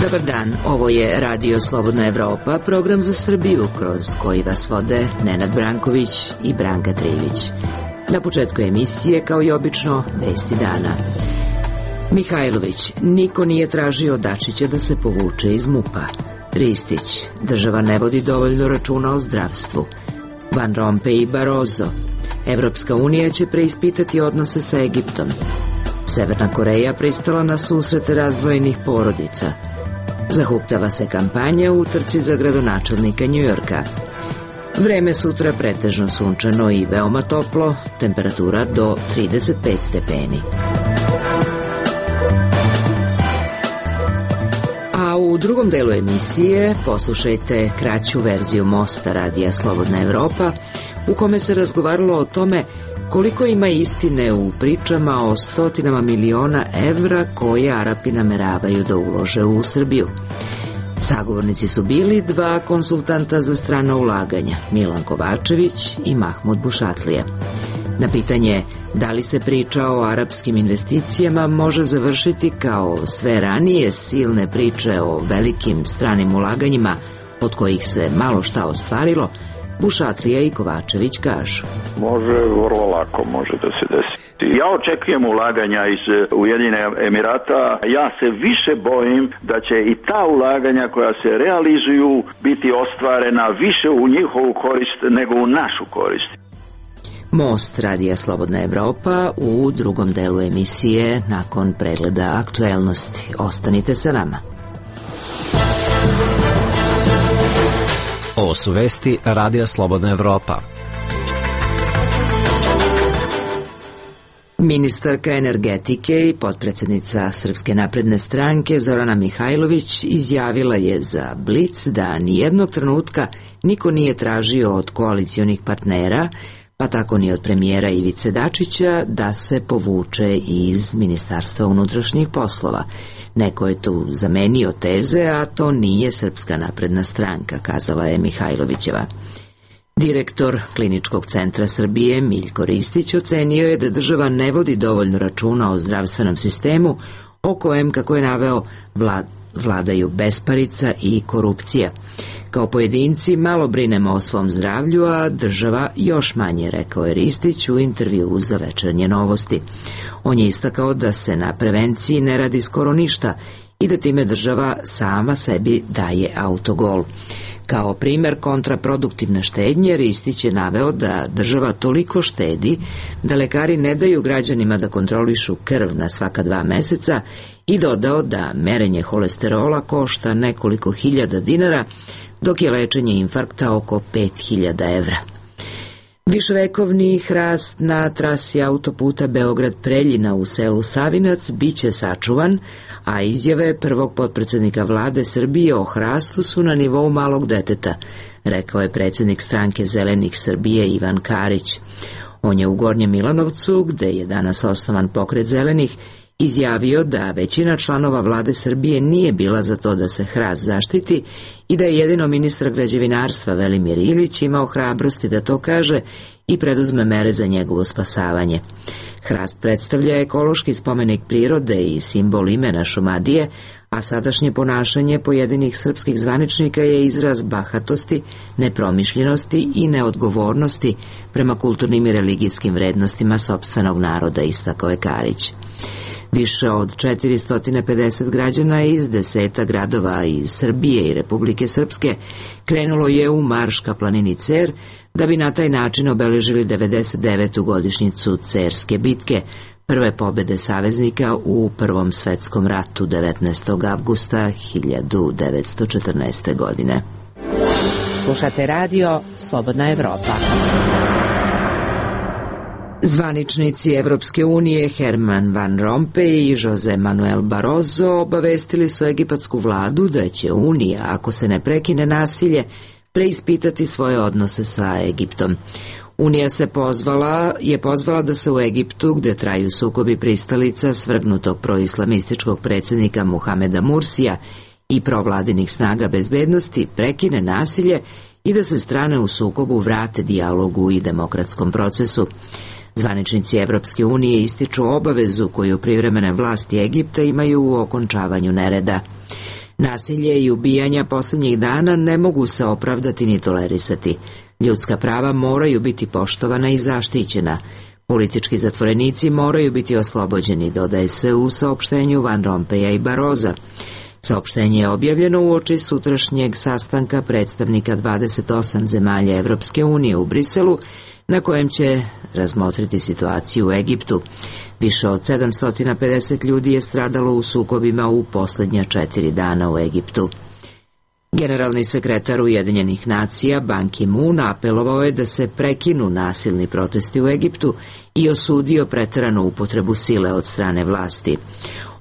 Dobar dan, ovo je Radio Slobodna Evropa, program za Srbiju kroz koji vas vode Nenad Branković i Branka Trivić. Na početku emisije, kao i obično, vesti dana. Mihajlović, niko nije tražio Dačića da se povuče iz MUP-a. Ristić, država ne vodi dovoljno računa o zdravstvu. Van Rompuy i Barroso, Evropska unija će preispitati odnose sa Egiptom. Severna Koreja pristala na susrete razdvojenih porodica. Zahuktava se kampanja u utrci za gradonačelnika Njujorka. Vreme sutra pretežno sunčano i veoma toplo, temperatura do 35 stepeni. A u drugom delu emisije poslušajte kraću verziju Mosta Radija Slobodna Evropa, u kome se razgovaralo o tome koliko ima istine u pričama o stotinama miliona evra koje Arapi nameravaju da ulože u Srbiju. Sagovornici su bili dva konsultanta za strana ulaganja, Milan Kovačević i Mahmud Bušatlija. Na pitanje da li se priča o arapskim investicijama može završiti kao sve ranije silne priče o velikim stranim ulaganjima od kojih se malo šta ostvarilo, Bušatlija i Kovačević kažu. Može, vrlo lako može da se desi. Ja očekujem ulaganja iz Ujedinjenih Emirata. Ja se više bojim da će i ta ulaganja koja se realizuju biti ostvarena više u njihovu korist nego u našu korist. Most Radija Slobodna Evropa u drugom delu emisije nakon pregleda aktuelnosti. Ostanite sa nama. Ovo su vesti Radija Slobodna Evropa. Ministarka energetike i potpredsednica Srpske napredne stranke Zorana Mihajlović izjavila je za Blic da nijednog trenutka niko nije tražio od koalicionih partnera, pa tako ni od premijera Ivice Dačića, da se povuče iz Ministarstva unutrašnjih poslova. Neko je tu zamenio teze, a to nije Srpska napredna stranka, kazala je Mihajlovićeva. Direktor Kliničkog centra Srbije Miljko Ristić ocenio je da država ne vodi dovoljno računa o zdravstvenom sistemu, o kojem, kako je naveo, vladaju besparica i korupcija. Kao pojedinci malo brinemo o svom zdravlju, a država još manje, rekao je Ristić u intervjuu za Večernje novosti. On je istakao da se na prevenciji ne radi skoro ništa i da time država sama sebi daje autogol. Kao primer kontraproduktivne štednje, Ristić je naveo da država toliko štedi da lekari ne daju građanima da kontrolišu krv na svaka 2 meseca i dodao da merenje holesterola košta nekoliko hiljada dinara, dok je lečenje infarkta oko 5.000 evra. Viševekovni hrast na trasi autoputa Beograd-Preljina u selu Savinac biće sačuvan, a izjave prvog potpredsednika vlade Srbije o hrastu su na nivou malog deteta, rekao je predsjednik stranke Zelenih Srbije Ivan Karić. On je u Gornjem Milanovcu, gde je danas osnovan pokret Zelenih, izjavio da većina članova vlade Srbije nije bila za to da se hrast zaštiti i da je jedino ministar građevinarstva Velimir Ilić imao hrabrosti da to kaže i preduzme mere za njegovo spasavanje. Hrast predstavlja ekološki spomenik prirode i simbol imena Šumadije, a sadašnje ponašanje pojedinih srpskih zvaničnika je izraz bahatosti, nepromišljenosti i neodgovornosti prema kulturnim i religijskim vrednostima sopstvenog naroda, istakao je Karić. Više od 450 građana iz 10 gradova iz Srbije i Republike Srpske krenulo je u marš ka planini Cer, da bi na taj način obeležili 99. godišnjicu Cerske bitke, prve pobede saveznika u Prvom svetskom ratu 19. avgusta 1914. godine. Slušate radio Slobodna Evropa. Zvaničnici Evropske unije Herman Van Rompuy i Jose Manuel Barroso obavestili su egipatsku vladu da će Unija, ako se ne prekine nasilje, preispitati svoje odnose sa Egiptom. Unija je pozvala da se u Egiptu, gde traju sukobi pristalica svrgnutog proislamističkog predsjednika Muhameda Mursija i provladinih snaga bezbednosti, prekine nasilje i da se strane u sukobu vrate dijalogu i demokratskom procesu. Zvaničnici Evropske unije ističu obavezu koju privremene vlasti Egipta imaju u okončavanju nereda. Nasilje i ubijanja posljednjih dana ne mogu se opravdati ni tolerisati. Ljudska prava moraju biti poštovana i zaštićena. Politički zatvorenici moraju biti oslobođeni, dodaje se u saopštenju Van Rompuya i Barrosa. Saopštenje je objavljeno uoči sutrašnjeg sastanka predstavnika 28 zemalja Evropske unije u Briselu, na kojem će razmotriti situaciju u Egiptu. Više od 750 ljudi je stradalo u sukobima u posljednja 4 dana u Egiptu. Generalni sekretar Ujedinjenih nacija Ban Ki-moon apelovao je da se prekinu nasilni protesti u Egiptu i osudio preteranu upotrebu sile od strane vlasti.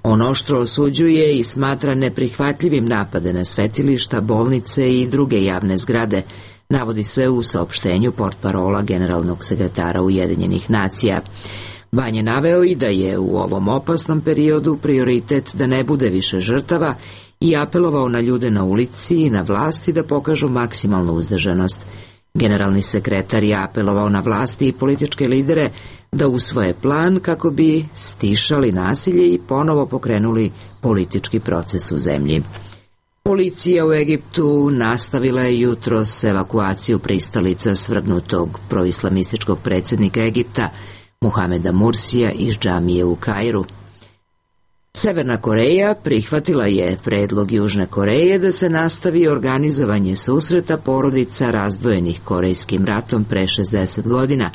On oštro osuđuje i smatra neprihvatljivim napade na svetilišta, bolnice i druge javne zgrade, navodi se u saopštenju portparola generalnog sekretara Ujedinjenih nacija. Ban je naveo i da je u ovom opasnom periodu prioritet da ne bude više žrtava i apelovao na ljude na ulici i na vlasti da pokažu maksimalnu uzdržanost. Generalni sekretar je apelovao na vlasti i političke lidere da usvoje plan kako bi stišali nasilje i ponovo pokrenuli politički proces u zemlji. Policija u Egiptu nastavila je jutros evakuaciju pristalica svrgnutog proislamističkog predsjednika Egipta Muhameda Mursija iz džamije u Kairu. Severna Koreja prihvatila je predlog Južne Koreje da se nastavi organizovanje susreta porodica razdvojenih Korejskim ratom pre 60 godina,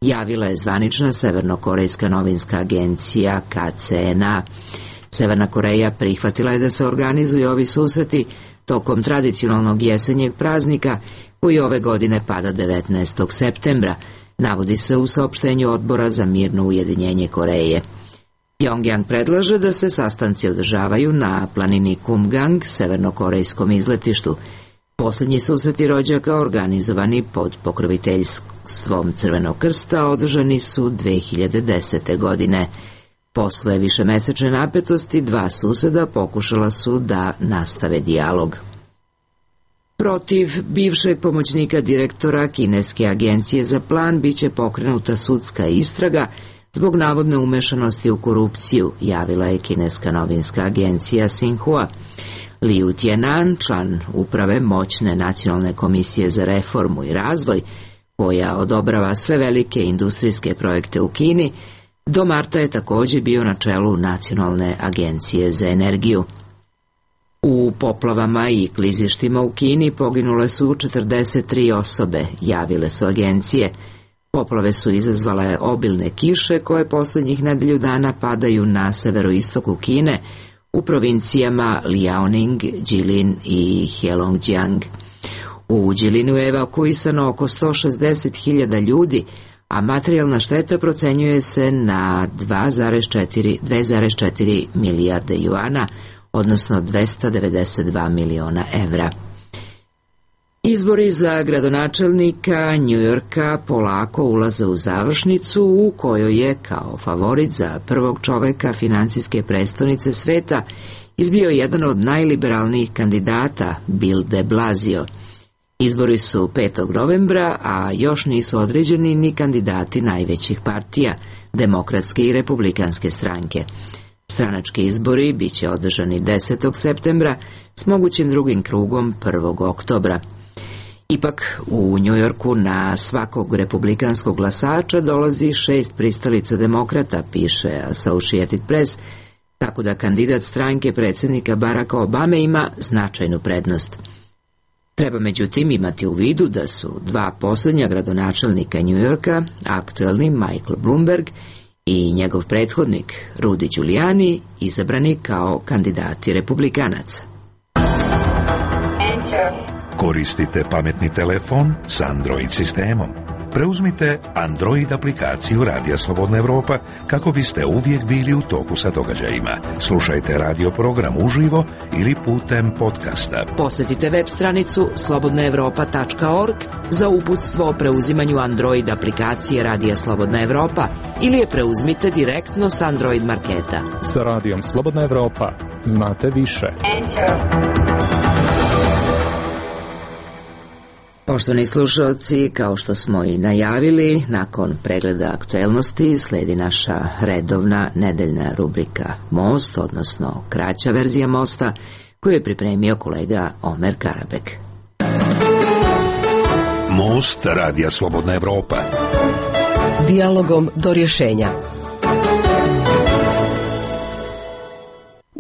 javila je zvanična severnokorejska novinska agencija KCNA. Severna Koreja prihvatila je da se organizuju ovi susreti tokom tradicionalnog jesenjeg praznika koji ove godine pada 19. septembra, navodi se u saopštenju Odbora za mirno ujedinjenje Koreje. Pjongjang predlaže da se sastanci održavaju na planini Kumgang, severnokorejskom izletištu. Posljednji susreti rođaka organizovani pod pokroviteljstvom Crvenog krsta održani su 2010. godine. Posle višemesečne napetosti, dva suseda pokušala su da nastave dijalog. Protiv bivšeg pomoćnika direktora Kineske agencije za plan biće pokrenuta sudska istraga zbog navodne umešanosti u korupciju, javila je kineska novinska agencija Xinhua. Liu Tianan, član uprave moćne nacionalne komisije za reformu i razvoj, koja odobrava sve velike industrijske projekte u Kini, do marta je također bio na čelu Nacionalne agencije za energiju. U poplavama i klizištima u Kini poginule su 43 osobe, javile su agencije. Poplave su izazvale obilne kiše koje posljednjih nedelju dana padaju na severoistoku Kine, u provincijama Liaoning, Jilin i Heilongjiang. U Jilinu je evakuisano oko 160.000 ljudi, a materijalna šteta procenjuje se na 2,4 milijarde juana, odnosno 292 miliona evra. Izbori za gradonačelnika Njujorka polako ulaze u završnicu u kojoj je kao favorit za prvog čoveka finansijske prestonice sveta izbio jedan od najliberalnijih kandidata, Bill de Blasio. Izbori su 5. novembra, a još nisu određeni ni kandidati najvećih partija, demokratske i republikanske stranke. Stranački izbori biće održani 10. septembra s mogućim drugim krugom 1. oktobra. Ipak, u Njujorku na svakog republikanskog glasača dolazi 6 pristalica demokrata, piše Associated Press, tako da kandidat stranke predsjednika Baracka Obame ima značajnu prednost. Treba međutim imati u vidu da su dva posljednja gradonačelnika Njujorka, aktuelni Michael Bloomberg i njegov prethodnik Rudy Giuliani, izabrani kao kandidati republikanaca. Koristite pametni telefon s Android sistemom. Preuzmite Android aplikaciju Radija Slobodna Evropa kako biste uvijek bili u toku sa događajima. Slušajte radio program uživo ili putem podcasta. Posjetite web stranicu slobodnaevropa.org za uputstvo o preuzimanju Android aplikacije Radija Slobodna Evropa ili je preuzmite direktno s Android marketa. Sa Radijom Slobodna Evropa znate više. Poštovani slušalci, kao što smo i najavili, nakon pregleda aktuelnosti slijedi naša redovna nedeljna rubrika Most, odnosno kraća verzija Mosta, koju je pripremio kolega Omer Karabek. Most Radija Slobodna Evropa. Dijalogom do rješenja.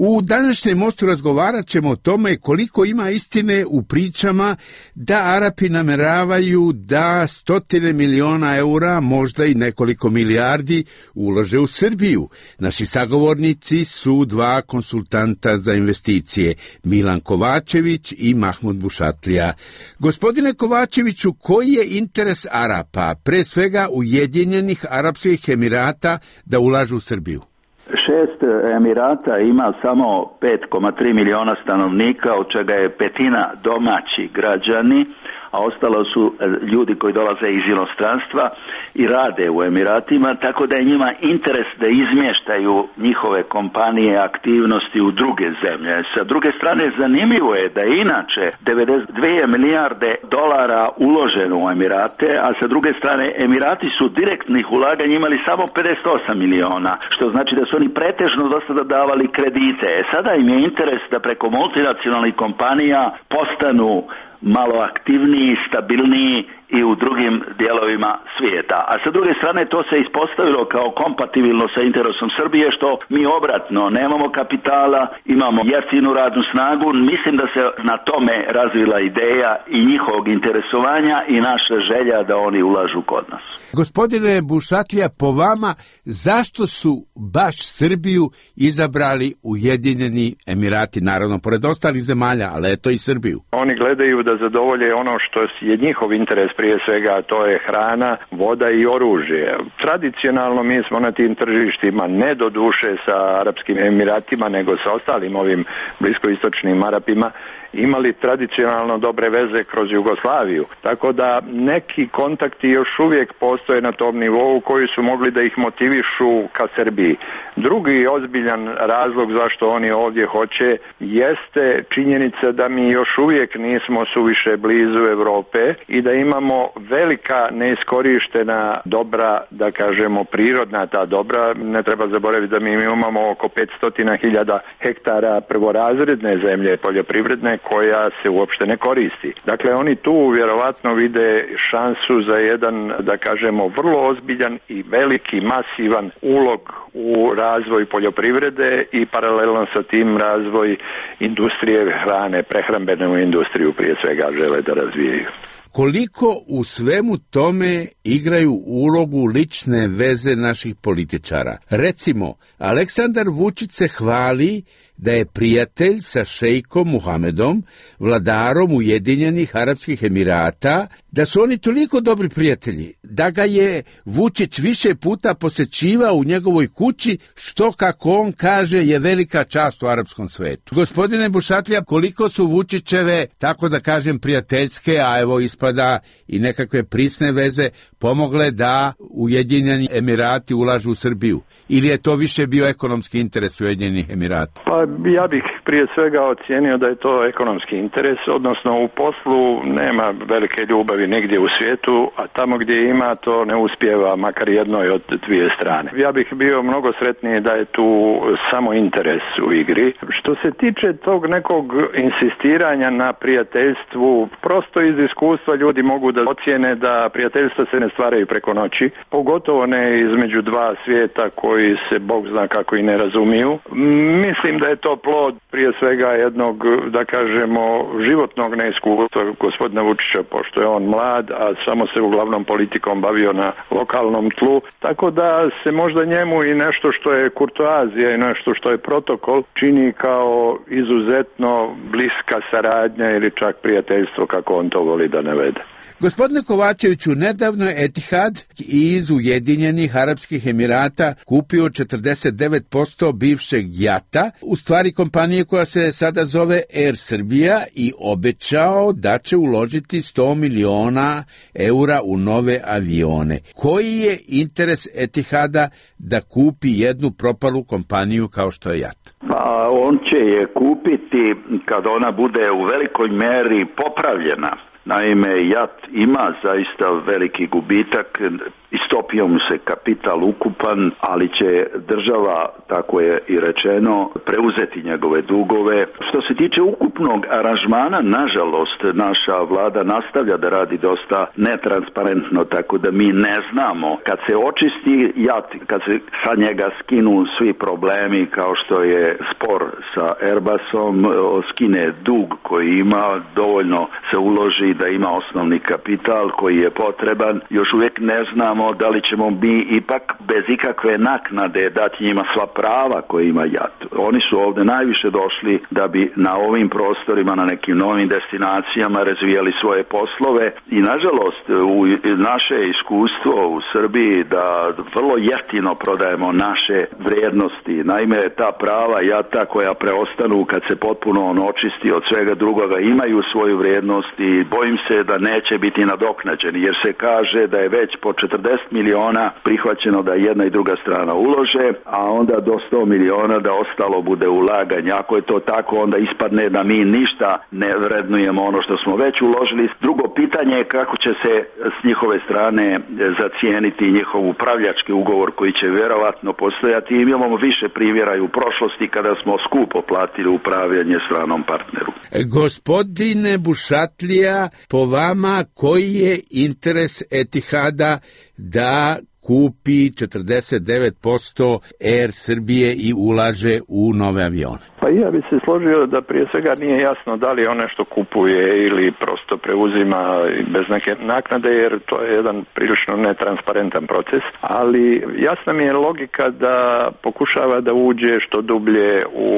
U današnjem mostu razgovarat ćemo o tome koliko ima istine u pričama da Arapi nameravaju da 100 miliona eura, možda i nekoliko milijardi, ulože u Srbiju. Naši sagovornici su dva konsultanta za investicije, Milan Kovačević i Mahmud Bušatlija. Gospodine Kovačeviću, koji je interes Arapa, pre svega Ujedinjenih Arapskih Emirata, da ulažu u Srbiju? 6 Emirata ima samo 5,3 miliona stanovnika, od čega je petina domaći građani, a ostalo su ljudi koji dolaze iz inostranstva i rade u Emiratima, tako da je njima interes da izmještaju njihove kompanije, aktivnosti u druge zemlje. Sa druge strane, zanimljivo je da je inače 92 milijarde dolara uloženo u Emirate, a sa druge strane Emirati su direktnih ulaganja imali samo 58 miliona, što znači da su oni pretežno do sada davali kredite. Sada im je interes da preko multinacionalnih kompanija postanu malo aktivniji, stabilniji i u drugim dijelovima svijeta. A sa druge strane to se ispostavilo kao kompatibilno sa interesom Srbije, što mi obratno nemamo kapitala, imamo jeftinu radnu snagu. Mislim da se na tome razvila ideja i njihovog interesovanja i naša želja da oni ulažu kod nas. Gospodine Bušatlija, po vama, zašto su baš Srbiju izabrali Ujedinjeni Emirati, naravno pored ostalih zemalja, ali eto i Srbiju? Oni gledaju da zadovolje ono što je njihov interes, prije svega to je hrana, voda i oružje. Tradicionalno mi smo na tim tržištima, ne do duše sa Arapskim Emiratima, nego sa ostalim ovim bliskoistočnim Arapima, imali tradicionalno dobre veze kroz Jugoslaviju. Tako da neki kontakti još uvijek postoje na tom nivou koji su mogli da ih motivišu ka Srbiji. Drugi ozbiljan razlog zašto oni ovdje hoće jeste činjenica da mi još uvijek nismo suviše blizu Europe i da imamo velika neiskorištena dobra, da kažemo prirodna ta dobra. Ne treba zaboraviti da mi imamo oko 500.000 hektara prvorazredne zemlje poljoprivredne koja se uopšte ne koristi. Dakle, oni tu vjerovatno vide šansu za jedan, da kažemo, vrlo ozbiljan i veliki, masivan ulog u razvoj poljoprivrede i paralelno sa tim razvoj industrije hrane, prehrambenu industriju prije svega žele da razvijaju. Koliko u svemu tome igraju ulogu lične veze naših političara? Recimo, Aleksandar Vučić se hvali da je prijatelj sa šejkom Muhamedom, vladarom Ujedinjenih Arapskih Emirata, da su oni toliko dobri prijatelji, da ga je Vučić više puta posećivao u njegovoj kući, što, kako on kaže, je velika čast u arapskom svetu. Gospodine Bušatlija, koliko su Vučićeve, tako da kažem, prijateljske, a evo ispada i nekakve prisne veze, pomogle da Ujedinjeni Emirati ulažu u Srbiju? Ili je to više bio ekonomski interes Ujedinjenih Emirata? Pa ja bih prije svega ocijenio da je to ekonomski interes, odnosno u poslu nema velike ljubavi negdje u svijetu, a tamo gdje ima to ne uspijeva makar jednoj od dvije strane. Ja bih bio mnogo sretniji da je tu samo interes u igri. Što se tiče tog nekog insistiranja na prijateljstvu, prosto iz iskustva ljudi mogu da ocijene da prijateljstva se ne stvaraju preko noći, pogotovo ne između dva svijeta koji se Bog zna kako i ne razumiju. Mislim da je to plod prije svega jednog, da kažemo, životnog neiskustva gospodina Vučića, pošto je on mlad, a samo se uglavnom politikom bavio na lokalnom tlu, tako da se možda njemu i nešto što je kurtoazija i nešto što je protokol čini kao izuzetno bliska saradnja ili čak prijateljstvo, kako on to voli da navede. Gospodine Kovačeviću, nedavno je Etihad iz Ujedinjenih Arapskih Emirata kupio 49% bivšeg JAT-a, u stvari kompanije koja se sada zove Air Srbija, i obećao da će uložiti 100 miliona eura u nove avione. Koji je interes Etihada da kupi jednu propalu kompaniju kao što je JAT? Pa on će je kupiti kad ona bude u velikoj meri popravljena. Naime, JAT ima zaista veliki gubitak, istopio mu se kapital ukupan, ali će država, tako je i rečeno, preuzeti njegove dugove. Što se tiče ukupnog aranžmana, nažalost, naša vlada nastavlja da radi dosta netransparentno, tako da mi ne znamo. Kad se očisti JAT, kad se sa njega skinu svi problemi kao što je spor sa Airbusom, skine dug koji ima, dovoljno se uloži da ima osnovni kapital koji je potreban, još uvijek ne znamo da li ćemo mi ipak bez ikakve naknade dati njima sva prava koje ima JAT. Oni su ovdje najviše došli da bi na ovim prostorima, na nekim novim destinacijama razvijali svoje poslove i nažalost u naše iskustvo u Srbiji da vrlo jeftino prodajemo naše vrijednosti. Naime, ta prava JAT-a koja preostanu kad se potpuno on očisti od svega drugoga imaju svoju vrijednost i bojim se da neće biti nadoknađeni jer se kaže da je već po 40 miliona prihvaćeno da jedna i druga strana ulože, a onda do 100 miliona da ostalo bude ulaganje. Ako je to tako, onda ispadne da mi ništa ne vrednujemo ono što smo već uložili. Drugo pitanje je kako će se s njihove strane zacijeniti njihov upravljački ugovor koji će vjerovatno postojati. I imamo više primjera i u prošlosti kada smo skupo platili upravljanje stranom partneru. Gospodine Bušatlija, po vama koji je interes Etihada da kupi 49% Air Srbije i ulaže u nove avione? Pa ja bi se složio da prije svega nije jasno da li on nešto kupuje ili prosto preuzima bez neke naknade, jer to je jedan prilično netransparentan proces, ali jasna mi je logika da pokušava da uđe što dublje u,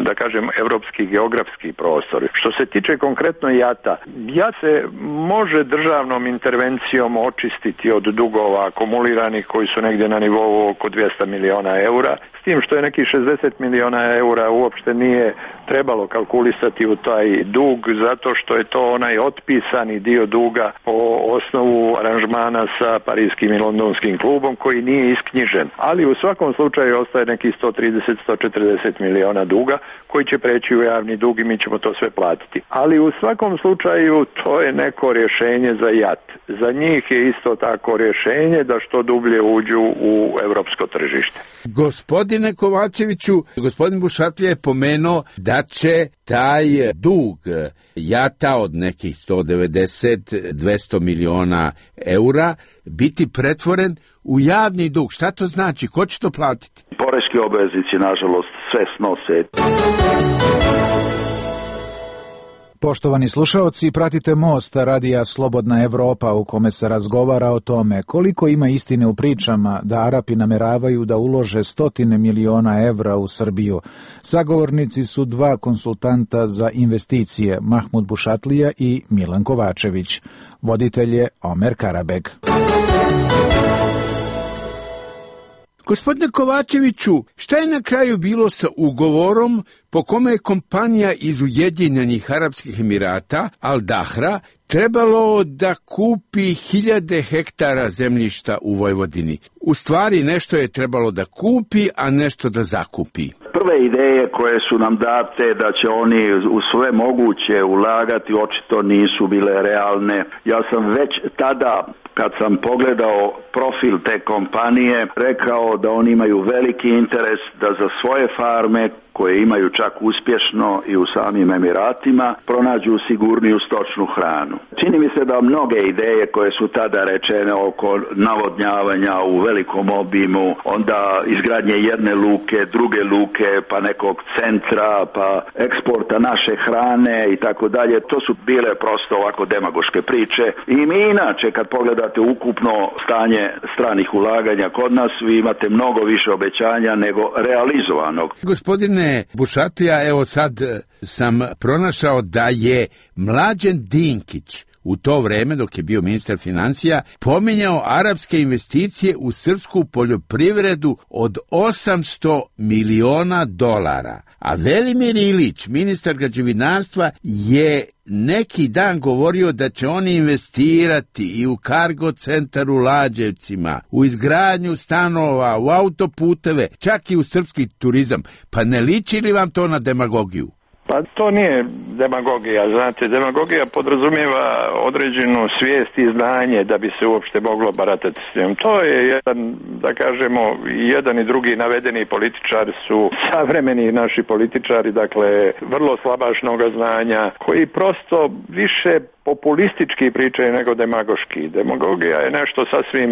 da kažem, evropski geografski prostor. Što se tiče konkretno JAT-a, JAT se može državnom intervencijom očistiti od dugova akumuliranih koji su negdje na nivou oko 200 miliona eura, s tim što je neki 60 miliona eura uopšte nije trebalo kalkulisati u taj dug, zato što je to onaj otpisani dio duga po osnovu aranžmana sa parijskim i londonskim klubom koji nije isknjižen. Ali u svakom slučaju ostaje neki 130-140 miliona duga koji će preći u javni dug i mi ćemo to sve platiti. Ali u svakom slučaju to je neko rješenje za JAT. Za njih je isto tako rješenje da što dublje uđu u evropsko tržište. Gospodine Kovačeviću, gospodin Bušatlija je pomenuo da će taj dug JAT-a od nekih 190-200 miliona eura biti pretvoren u javni dug. Šta to znači? Ko će to platiti? Poreski obveznici, nažalost, sve snose. Poštovani slušaoci, pratite Most, radija Slobodna Evropa, u kome se razgovara o tome koliko ima istine u pričama da Arapi nameravaju da ulože 100 miliona evra u Srbiju. Sagovornici su dva konsultanta za investicije, Mahmud Bušatlija i Milan Kovačević. Voditelj je Omer Karabeg. Gospodine Kovačeviću, šta je na kraju bilo sa ugovorom po kome je kompanija iz Ujedinjenih Arapskih Emirata, Al Dahra, trebalo da kupi 1000 hektara zemljišta u Vojvodini? U stvari nešto je trebalo da kupi, a nešto da zakupi. Prve ideje koje su nam date da će oni u sve moguće ulagati očito nisu bile realne. Ja sam već tada, kad sam pogledao profil te kompanije, rekao da oni imaju veliki interes da za svoje farme, koje imaju čak uspješno i u samim Emiratima, pronađu sigurniju stočnu hranu. Čini mi se da mnoge ideje koje su tada rečene oko navodnjavanja u velikom obimu, onda izgradnje jedne luke, druge luke, pa nekog centra, pa eksporta naše hrane i tako dalje, to su bile prosto ovako demagoške priče. I mi inače, kad pogledate ukupno stanje stranih ulaganja kod nas, vi imate mnogo više obećanja nego realizovanog. Gospodine Bušatlija, evo sad sam pronašao da je Mlađen Dinkić u to vreme, dok je bio ministar financija, pominjao arapske investicije u srpsku poljoprivredu od 800 miliona dolara. A Velimir Ilić, ministar građevinarstva, je neki dan govorio da će oni investirati i u kargo centar u Lađevcima, u izgradnju stanova, u autoputeve, čak i u srpski turizam. Pa ne liči li vam to na demagogiju? Pa to nije demagogija, znate, demagogija podrazumijeva određenu svijest i znanje da bi se uopšte moglo baratati s njom. To je jedan, da kažemo, jedan i drugi navedeni političari su savremeni naši političari, dakle, vrlo slabašnoga znanja, koji prosto više populistički pričaju nego demagoški. Demagogija je nešto sasvim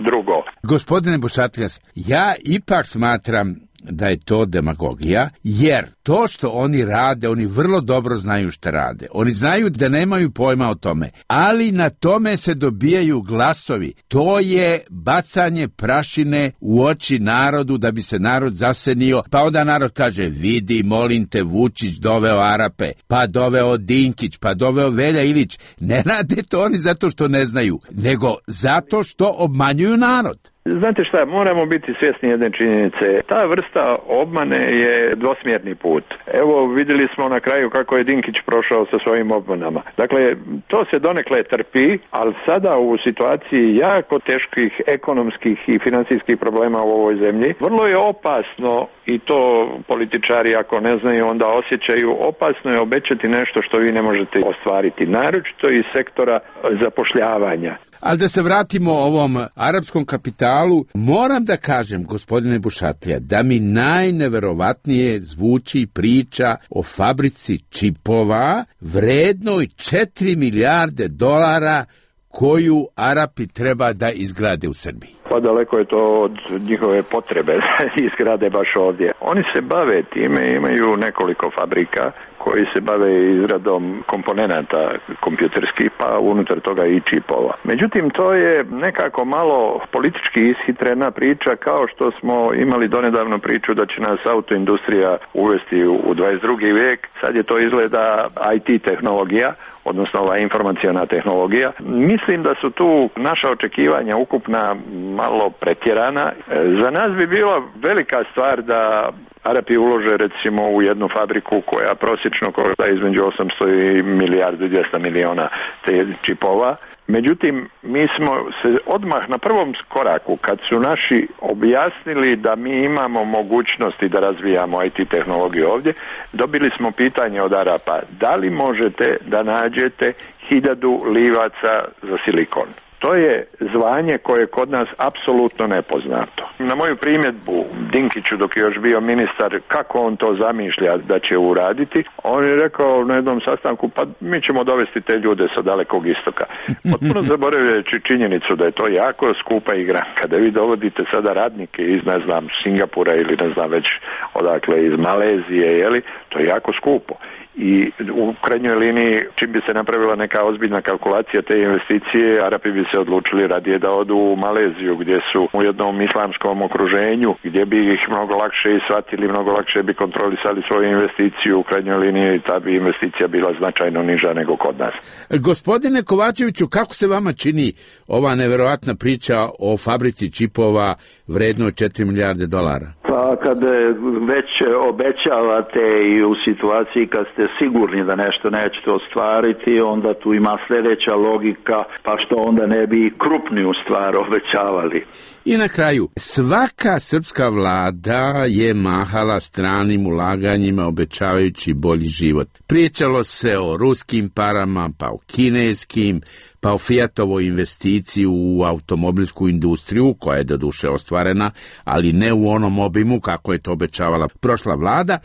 drugo. Gospodine Bušatljas, ja ipak smatram da je to demagogija, jer to što oni rade, oni vrlo dobro znaju šta rade. Oni znaju da nemaju pojma o tome, ali na tome se dobijaju glasovi. To je bacanje prašine u oči narodu da bi se narod zasenio, pa onda narod kaže, vidi, molim te, Vučić doveo Arape, pa doveo Dinkić, pa doveo Velja Ilić. Ne rade to oni zato što ne znaju, nego zato što obmanjuju narod. Znate šta, moramo biti svjesni jedne činjenice. Ta vrsta obmane je dvosmjerni put. Evo, vidjeli smo na kraju kako je Dinkić prošao sa svojim obmanama. Dakle, to se donekle trpi, ali sada u situaciji jako teških ekonomskih i financijskih problema u ovoj zemlji, vrlo je opasno, i to političari ako ne znaju onda osjećaju, opasno je obećati nešto što vi ne možete ostvariti, naročito iz sektora zapošljavanja. Ali da se vratimo ovom arapskom kapitalu, moram da kažem, gospodine Bušatlija, da mi najneverovatnije zvuči priča o fabrici čipova vrednoj 4 milijarde dolara koju Arapi treba da izgrade u Srbiji. Pa daleko je to od njihove potrebe da izgrade baš ovdje. Oni se bave time, imaju nekoliko fabrika koji se bave izradom komponenata kompjuterskih, pa unutar toga i čipova. Međutim, to je nekako malo politički ishitrena priča, kao što smo imali donedavno priču da će nas autoindustrija uvesti u 22. vijek. Sad je to izgleda IT tehnologija, odnosno ova informaciona tehnologija. Mislim da su tu naša očekivanja ukupna malo pretjerana. Za nas bi bila velika stvar da Arapi ulože recimo u jednu fabriku koja prosječno košta između 800 i milijardu i 200 miliona te čipova. Međutim, mi smo se odmah na prvom koraku, kad su naši objasnili da mi imamo mogućnosti da razvijamo IT tehnologiju ovdje, dobili smo pitanje od Arapa, da li možete da nađete 1000 livaca za silikon? To je zvanje koje je kod nas apsolutno nepoznato. Na moju primjedbu Dinkiću dok je još bio ministar kako on to zamišlja da će uraditi, on je rekao na jednom sastanku pa mi ćemo dovesti te ljude sa Dalekog istoka. Potpuno zaboravljajući činjenicu da je to jako skupa igra. Kada vi dovodite sada radnike iz ne znam Singapura ili ne znam već odakle iz Malezije, jeli, to je jako skupo. I u krajnjoj liniji, čim bi se napravila neka ozbiljna kalkulacija te investicije, Arapi bi se odlučili radije da odu u Maleziju, gdje su u jednom islamskom okruženju, gdje bi ih mnogo lakše ishvatili, mnogo lakše bi kontrolisali svoju investiciju. U krajnjoj liniji ta bi investicija bila značajno niža nego kod nas. Gospodine Kovačeviću, kako se vama čini ova neverovatna priča o fabrici čipova vrednoj 4 milijarde dolara? Pa kad već obećavate i u situaciji kad ste sigurni da nešto nećete ostvariti, onda tu ima sljedeća logika, pa što onda ne bi krupniju stvar obećavali. I na kraju, svaka srpska vlada je mahala stranim ulaganjima obećavajući bolji život. Pričalo se o ruskim parama, pa o kineskim, pa o Fiatovoj investiciji u automobilsku industriju, koja je doduše ostvarena, ali ne u onom obimu kako je to obećavala prošla vlada.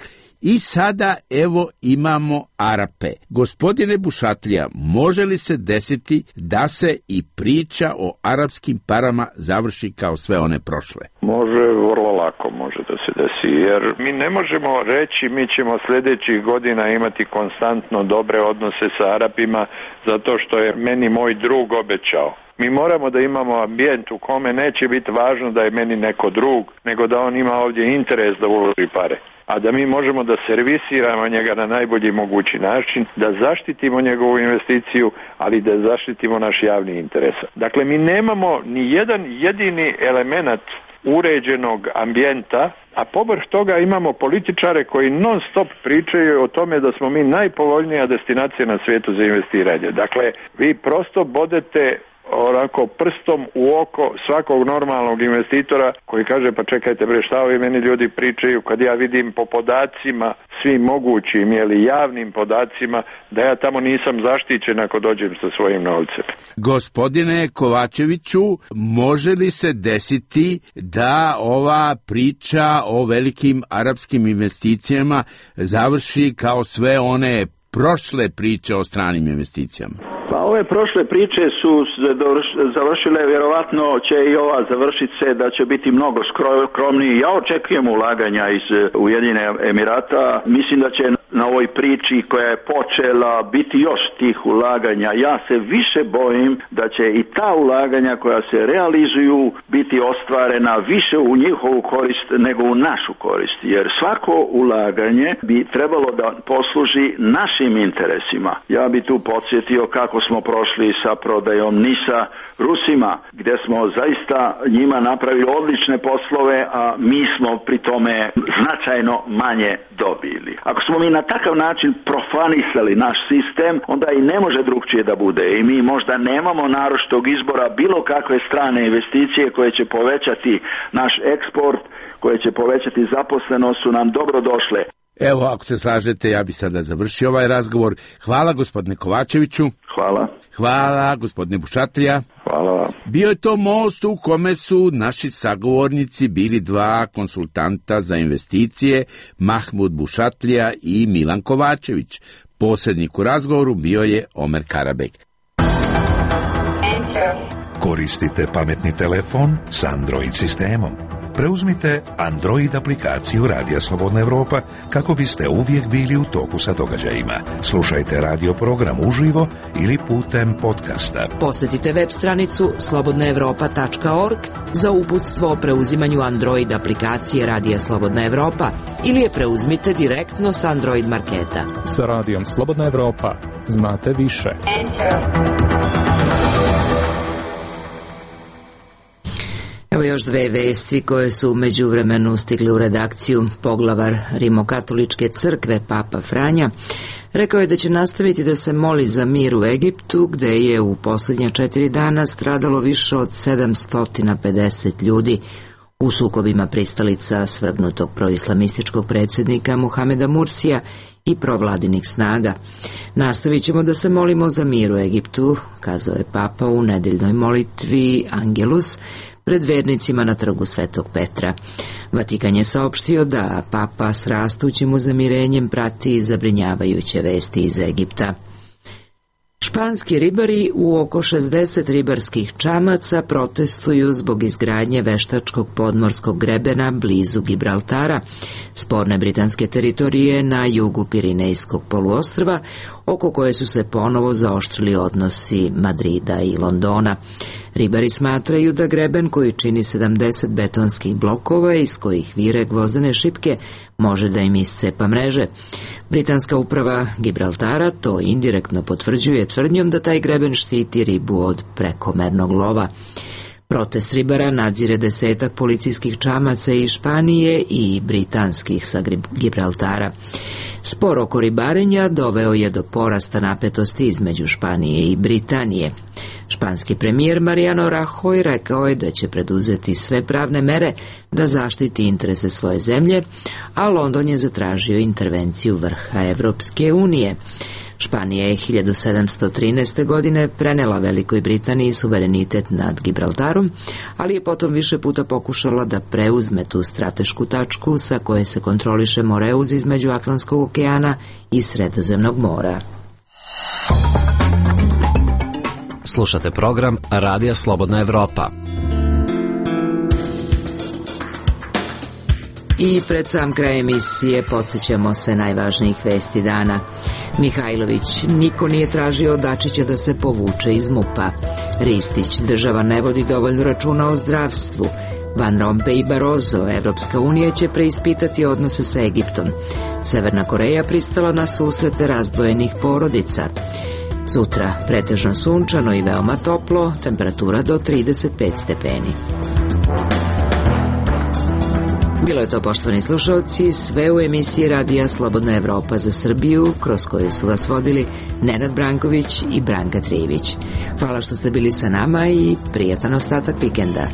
I sada evo imamo Arape. Gospodine Bušatlija, može li se desiti da se i priča o arapskim parama završi kao sve one prošle? Može, vrlo lako može da se desi, jer mi ne možemo reći mi ćemo sljedećih godina imati konstantno dobre odnose sa Arapima zato što je meni moj drug obećao. Mi moramo da imamo ambijent u kome neće biti važno da je meni neko drug, nego da on ima ovdje interes da uloži pare. A da mi možemo da servisiramo njega na najbolji mogući način, da zaštitimo njegovu investiciju, ali da zaštitimo naš javni interes. Dakle, mi nemamo ni jedan jedini element uređenog ambijenta, a povrh toga imamo političare koji non stop pričaju o tome da smo mi najpovoljnija destinacija na svijetu za investiranje. Dakle, vi prosto bodete onako prstom u oko svakog normalnog investitora koji kaže pa čekajte bre, šta ovi meni ljudi pričaju kad ja vidim po podacima svim mogućim ili javnim podacima da ja tamo nisam zaštićen ako dođem sa svojim novcem. Gospodine Kovačeviću, može li se desiti da ova priča o velikim arapskim investicijama završi kao sve one prošle priče o stranim investicijama? Pa ove prošle priče su završile, vjerovatno će i ova završiti se da će biti mnogo skromniji. Ja očekujem ulaganja iz Ujedinjenih Emirata. Mislim da će na ovoj priči koja je počela biti još tih ulaganja. Ja se više bojim da će i ta ulaganja koja se realizuju biti ostvarena više u njihovu korist nego u našu korist. Jer svako ulaganje bi trebalo da posluži našim interesima. Ja bi tu podsjetio kako smo prošli sa prodajom NIS-a Rusima, gdje smo zaista njima napravili odlične poslove, a mi smo pri tome značajno manje dobili. Ako smo mi na takav način profanisali naš sistem, onda i ne može drugčije da bude. I mi možda nemamo naročitog izbora bilo kakve strane investicije koje će povećati naš eksport, koje će povećati zaposlenost, su nam dobro došle. Evo, ako se slažete, ja bi sada završio ovaj razgovor. Hvala gospodine Kovačeviću. Hvala. Hvala gospodine Bušatlija. Hvala. Bio je to most u kome su naši sagovornici bili dva konsultanta za investicije, Mahmud Bušatlija i Milan Kovačević. Posrednik u razgovoru bio je Omer Karabek. Koristite pametni telefon s Android sistemom. Preuzmite Android aplikaciju Radija Slobodna Evropa kako biste uvijek bili u toku sa događajima. Slušajte radio program uživo ili putem podcasta. Posjetite web stranicu slobodnaevropa.org za uputstvo o preuzimanju Android aplikacije Radija Slobodna Evropa ili je preuzmite direktno s Android marketa. Sa Radijom Slobodna Evropa znate više. Evo još dve vesti koje su u međuvremenu stigli u redakciju. Poglavar Rimokatoličke crkve, Papa Franja, rekao je da će nastaviti da se moli za mir u Egiptu, gde je u posljednja 4 dana stradalo više od 750 ljudi u sukobima pristalica svrgnutog proislamističkog predsjednika Muhameda Mursija i provladinih snaga. Nastavit ćemo da se molimo za mir u Egiptu, kazao je Papa u nedeljnoj molitvi Angelus pred vernicima na trgu Svetog Petra. Vatikan je saopštio da Papa s rastućim uznemirenjem prati zabrinjavajuće vesti iz Egipta. Španski ribari u oko 60 ribarskih čamaca protestuju zbog izgradnje veštačkog podmorskog grebena blizu Gibraltara, sporne britanske teritorije na jugu Pirinejskog poluostrva, oko koje su se ponovo zaoštrili odnosi Madrida i Londona. Ribari smatraju da greben, koji čini 70 betonskih blokova iz kojih vire gvozdene šipke, može da im iscepa mreže. Britanska uprava Gibraltara to indirektno potvrđuje tvrdnjom da taj greben štiti ribu od prekomernog lova. Protest ribara nadzire 10 policijskih čamaca iz Španije i britanskih sa Gibraltara. Spor oko ribarenja doveo je do porasta napetosti između Španije i Britanije. Španski premijer Mariano Rajoy rekao je da će preduzeti sve pravne mere da zaštiti interese svoje zemlje, a London je zatražio intervenciju vrha Evropske unije. Španija je 1713. godine prenela Velikoj Britaniji suverenitet nad Gibraltarom, ali je potom više puta pokušala da preuzme tu stratešku tačku sa koje se kontroliše Moreuz između Atlantskog okeana i Sredozemnog mora. Slušate program Radija Slobodna Evropa. I pred sam kraj emisije podsjećamo se najvažnijih vesti dana. Mihajlović: niko nije tražio od Dačića da se povuče iz MUP-a. Ristić: država ne vodi dovoljno računa o zdravstvu. Van Rompuy i Barroso: Evropska unija će preispitati odnose sa Egiptom. Severna Koreja pristala na susrete razdvojenih porodica. Sutra pretežno sunčano i veoma toplo, temperatura do 35 stepeni. Bilo je to, poštovani slušalci, sve u emisiji Radija Slobodna Evropa za Srbiju, kroz koju su vas vodili Nenad Branković i Branka Trijević. Hvala što ste bili sa nama i prijatan ostatak vikenda.